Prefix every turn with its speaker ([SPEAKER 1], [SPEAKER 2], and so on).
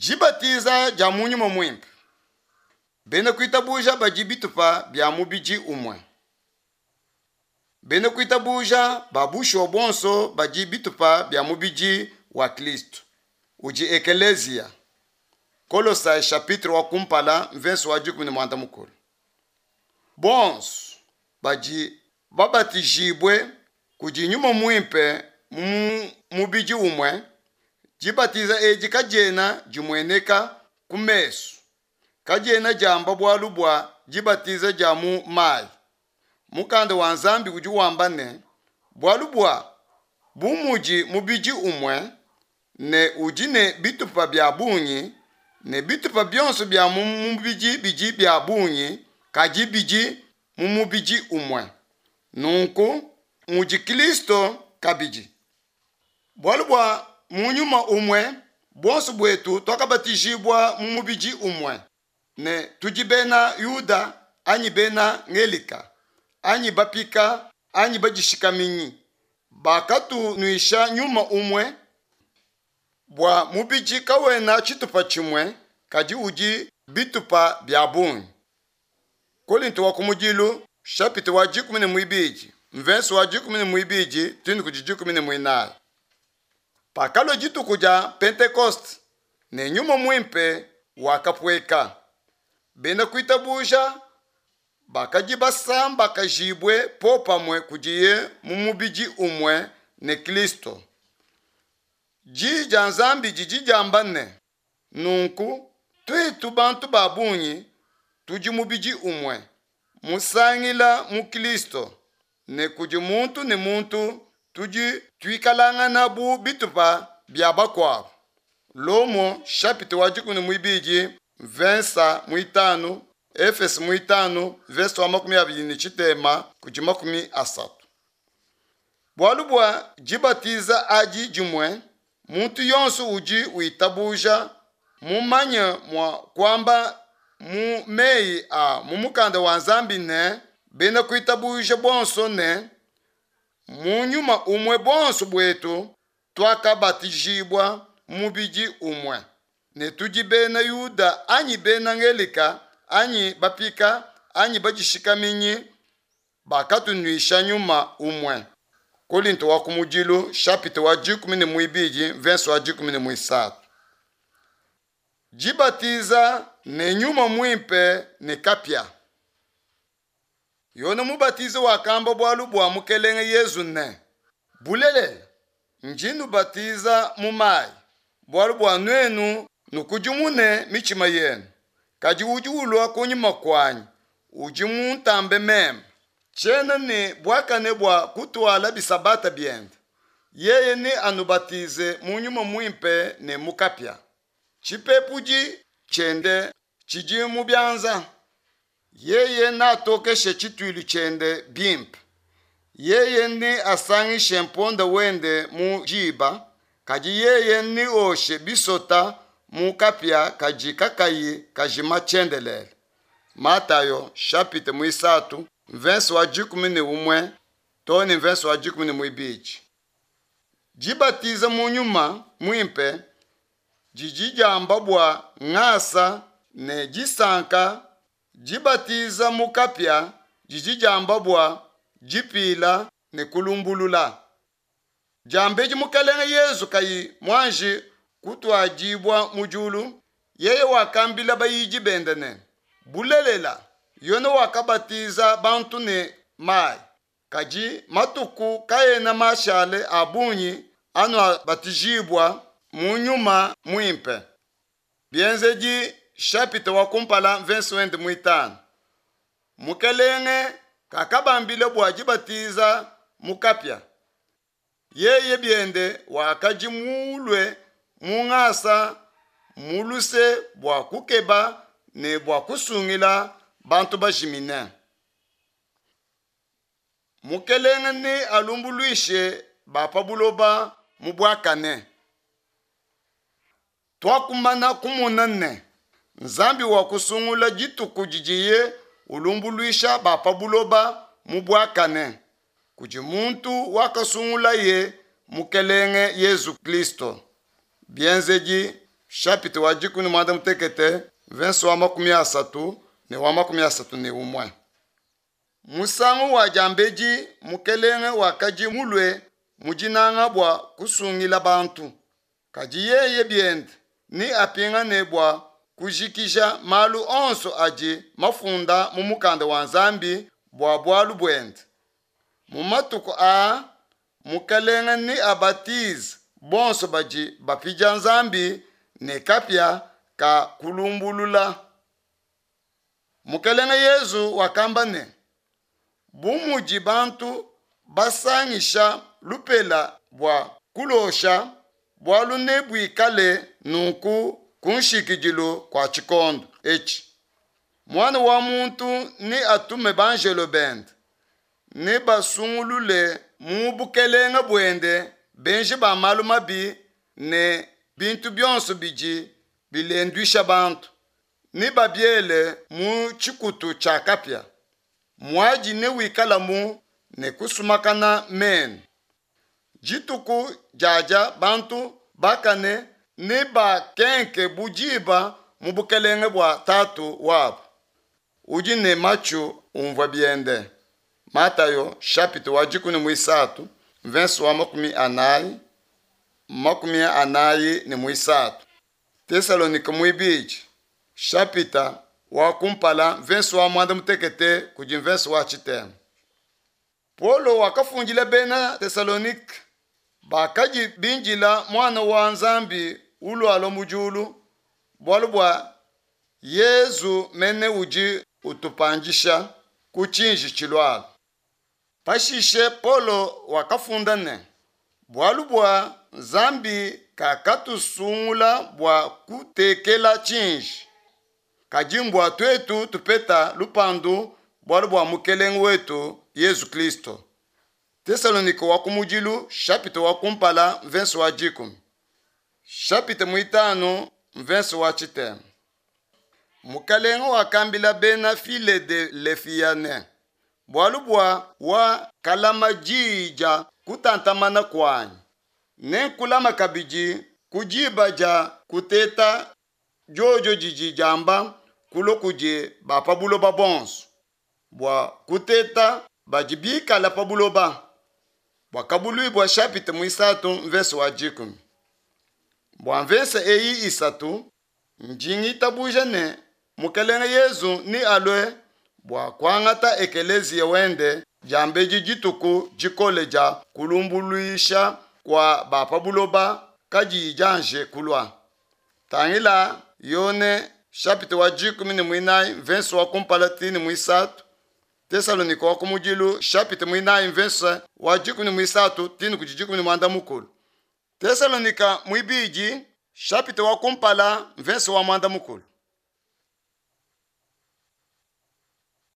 [SPEAKER 1] Dibatiza dia mu Nyuma Muimpe. Bena kuitabuja badi bitupa bia mubidi umue. Bena kuitabuja ba bushuwa bonso badi bitupa bia mubidi wa Kristo, udi Ekeleziya. Kolosai chapitre wa kumpala mvese wa 16. Bonso badi babatijibue kudi Nyuma Muimpe mu mubidi umue. Dibatiza edi kadiena dimueneka ku mesu, kadiena diamba bualu bua dibatiza dia mu mayi. Mukanda wa Nzambi udi wamba ne, bualu bua bu mudi mubidi umue ne udi ne bitupa bia bungi, ne bitupa bionso bia mu mubidi bidi bia bungi, kadi bidi mu mubidi umue. Nunku mudi Kristo kabidi. Bualu bua mu nyuma umue buonso buetu tuakabatijibua mu mubidi umue, ne tudi bena Yuda anyi bena Ngelika, anyi bapika anyi badishikaminyi, bakatunuisha nyuma umue. Bua mubidi kawena tshitupa tshimue, kadi udi bitupa bia bungi. Kolinto wa kumudilu chapitre wa 12 mvese wa 12 too kudi 14. Pakalua dituku dia Pentekoste ne Nyuma Muimpe wakapueka, bena kuitabuja bakadi basambakajibue popamue kudiye mu mubidi umue ne Kristo. Diyi dia Nzambi didi diamba ne, nunku tuetu bantu ba bungi tudi mubidi umue musangila mu Kristo, ne kudi muntu ne muntu tudi tuikalangana bu bitupa bia bakuabu. Lomo chapitre wa 12 verse 5, Efeso 5 verse wa 23 kudi 30. Bualu bua dibatiza adi dimue, muntu yonso udi witabuja mumanye mua kuamba mu meyi a mu mukanda wa Nzambi ne bena kuitabuja bonso ne mu nyuma umue bonso buetu tuakabatijibua mu mubidi umue, ne tudi bena Yuda anyi bena Ngelika anyi bapika anyi badishikaminyi, bakatunuisha nyuma umue. Kolinto wa kumudilu chapitre wa 12 verse wa 13. Dibatiza ne Nyuma Muimpe ne kapia. Yone Mubatizi wakamba bualu bua Mukelenge Yezu ne, bulelela ndi nubatiza mu mayi, bualu bua nuenu nukudimune mitshima yenu, kadi udi ulua kunyima kuanyi udi muntambe meme, tshiena ne buakane bua kutuala bisabata biende. Yeye ne anubatize mu Nyuma Muimpe ne mu kapia. Tshipepudi tshiende tshidi mu bianza. Yeye natokeshe tshituilu tshiende bimpe. Yeye ne asangishe mponda wende mu diba, kadi yeye neoshe bisota mu kapia kadi kakayi kajima tshiendelele. Matayo chapitre 3 verse wa 11 too ne verse wa 12. Dibatiza mu Nyuma Muimpe didi diamba bua ngasa ne disanka. Dibatiza mu kapia didi diamba bua dipila ne kulumbulula. Diambedi Mukelenge Yezu kayi muanji kutuadibua mu diulu, yeye wakambila bayidi bende ne, bulelela Yone wakabatiza bantu ne mayi, kadi matuku kaena mashale a bungi anuabatijibua mu Nyuma Muimpe. Bienzedi chapitre wa kumpala verse 5. Mukelenge kakabambila bua dibatiza mu kapia. Yeye biende wakadi mulue mu ngasa mu luse bua kukeba ne bua kusungila bantu bajimine. Mukelenge ne alumbuluishe ba pa buloba mu buakane. Tuakumana kumona ne Nzambi wakusungula dituku didiye ulumbuluisha ba pa buloba mu buakane kudi muntu wakasungulaye Mukelenge Yezu Kristo. Bienzedi chapitre wa dikumi ne muanda mutekete, mvense wa 30 ne wa 31. Musangu wa diambedi Mukelenge wakadi mulue mu dinanga bua kusungila bantu, kadi yeye biende neapingane bua kujikija malu onso adi mafunda mu Mukanda wa Nzambi bua bualu buende. Mu matuku aa Mukelenge neabatize bonso badi bapidia Nzambi ne kapia ka kulumbulula. Mukelenge Yezu wakamba ne, Bu mudi bantu basangisha lupela bua kulosha, bualu nebuikale nunku ku nshikidilu kua tshikondo etshi. Muana wa muntu neatume banjelo bende, nebasungulule mu bukelenge buende benji ba malu mabi ne bintu bionso bidi bilenduisha bantu, nebabiele mu tshikutu tshia kapia. Muadi newikalamu ne kusumakana menu. Dituku diadia bantu bakane nebakenke bu diba mu bukelenge bua Tatu wabu. Udi ne matshu umvua biende. Matayo chapitre wa 13 verse wa 40 43. Tesalonike muibidi chapitre wa kumpala verse wa 16 kudi verse wa tshitema. Paulo wakafundila bena Tesalonike bakadi bindila muana wa Nzambi ulualua mu diulu, bualu bua Yezu mene udi utupandisha ku tshinji tshilualua. Pashishe Paulo wakafunda ne, bualu bua Nzambi kakatusungula bua kutekela tshinji, kadi mbua tuetu tupeta lupandu bualu bua Mukelenge wetu Yezu Kristo. Tesalonike wa kumudilu chapitre wa kumpala verse wa 10. Chapitre 5 verse wa tshitema. Mukelenge wakambila bena Filadelefia ne, bualu bua wa kalama diyi dia kutantamana kuanyi, nenkulama kabidi ku diba dia kuteta diodio didi diamba kulua kudi ba pa buloba bonso, bua kuteta badi bikala pa buloba. Buakabuluibua chapitre 3 verse wa 10. Bua mvese eyi isatu ndi ngitabuja ne Mukelenge Yezu ni alue bua kuangata ekeleziya wende diambedi dituku dikole dia kulumbuluisha kua ba pa buloba kadiyi dianje kulua. Tangila Yone chapitre wa 14 verse wa kumpala tini muisatu, Tesalonike wa kumudilu chapitre 4 verse wa 13 tini kudi 13. Tesalonika mwibidi chapitre wa kumpala verse wa 10.